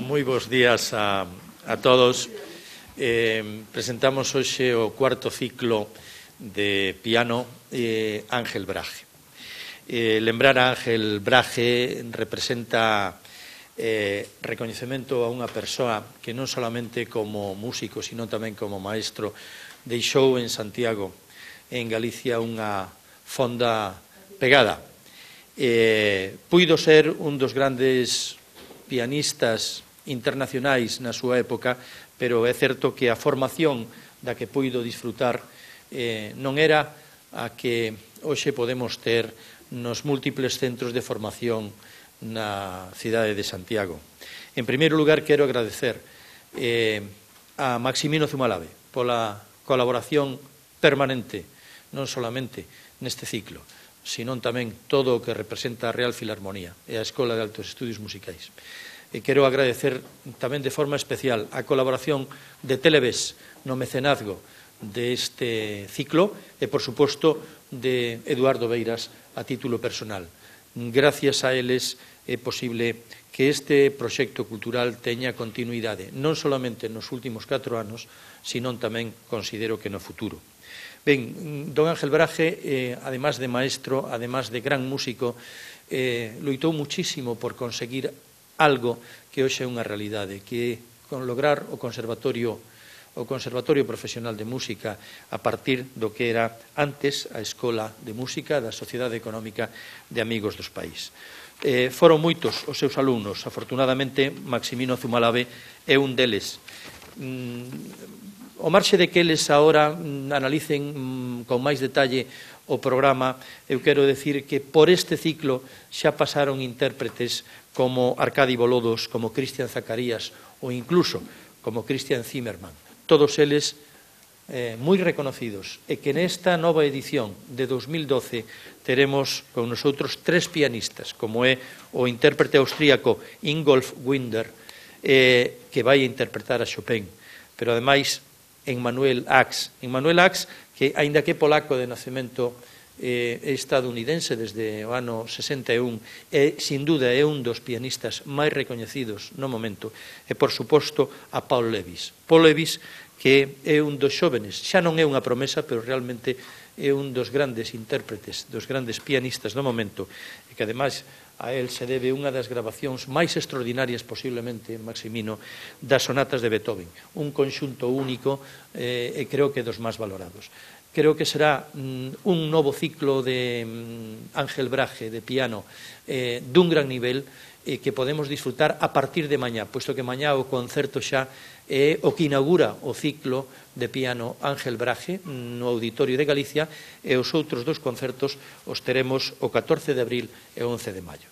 Moi bons días a todos. Presentamos hoxe o cuarto ciclo de piano Ángel Brahe. Lembrar a Ángel Brahe representa recoñecemento a unha persoa que non solamente como músico, sino tamén como maestro deixou en Santiago, en Galicia, unha fonda pegada. Puido ser un dos grandes pianistas internacionais na súa época, pero é certo que a formación da que puido disfrutar non era a que hoxe podemos ter nos múltiples centros de formación na cidade de Santiago. En primeiro lugar, quero agradecer a Maximino Zumalave pola colaboración permanente, non solamente neste ciclo, sino tamén todo o que representa a Real Filarmonía e a Escola de Altos Estudios Musicais. E quero agradecer tamén de forma especial a colaboración de Televes no mecenazgo deste ciclo e, por suposto, de Eduardo Beiras a título personal. Gracias a eles é posible que este proxecto cultural teña continuidade, non solamente nos últimos 4 anos, sino tamén considero que no futuro. Ben, don Ángel Brahe, además de maestro, además de gran músico, loitou muchísimo por conseguir algo que hoxe é unha realidade, que con lograr o Conservatorio Profesional de Música a partir do que era antes a Escola de Música da Sociedade Económica de Amigos dos País. Foron moitos os seus alumnos, afortunadamente Maximino Zumalave é un deles. Ao marxe de que eles agora analicen con máis detalle o programa, eu quero decir que por este ciclo xa pasaron intérpretes como Arcadi Bolodos, como Cristian Zacarías ou incluso como Christian Zimmermann. Todos eles moi reconocidos e que nesta nova edición de 2012 teremos con nosotros 3 pianistas, como é o intérprete austríaco Ingolf Winder, que vai interpretar a Chopin, pero ademais Emmanuel Ax, que, aínda que polaco de nacemento, é estadounidense desde o ano 61 e, sin duda, é un dos pianistas máis recoñecidos no momento, e, por suposto, a Paul Levis. Paul Levis, que é un dos xóvenes, xa non é unha promesa, pero realmente é un dos grandes intérpretes, dos grandes pianistas do momento, e que, ademais, a él se debe unha das grabacións máis extraordinarias posiblemente, Maximino, das sonatas de Beethoven, un conxunto único e creo que dos máis valorados. Creo que será un novo ciclo de Ángel Brahe de piano dun gran nivel que podemos disfrutar a partir de mañá, puesto que mañá o concerto xa é o que inaugura o ciclo de piano Ángel Brahe no Auditorio de Galicia, e os outros 2 concertos os teremos o 14 de abril e o 11 de maio.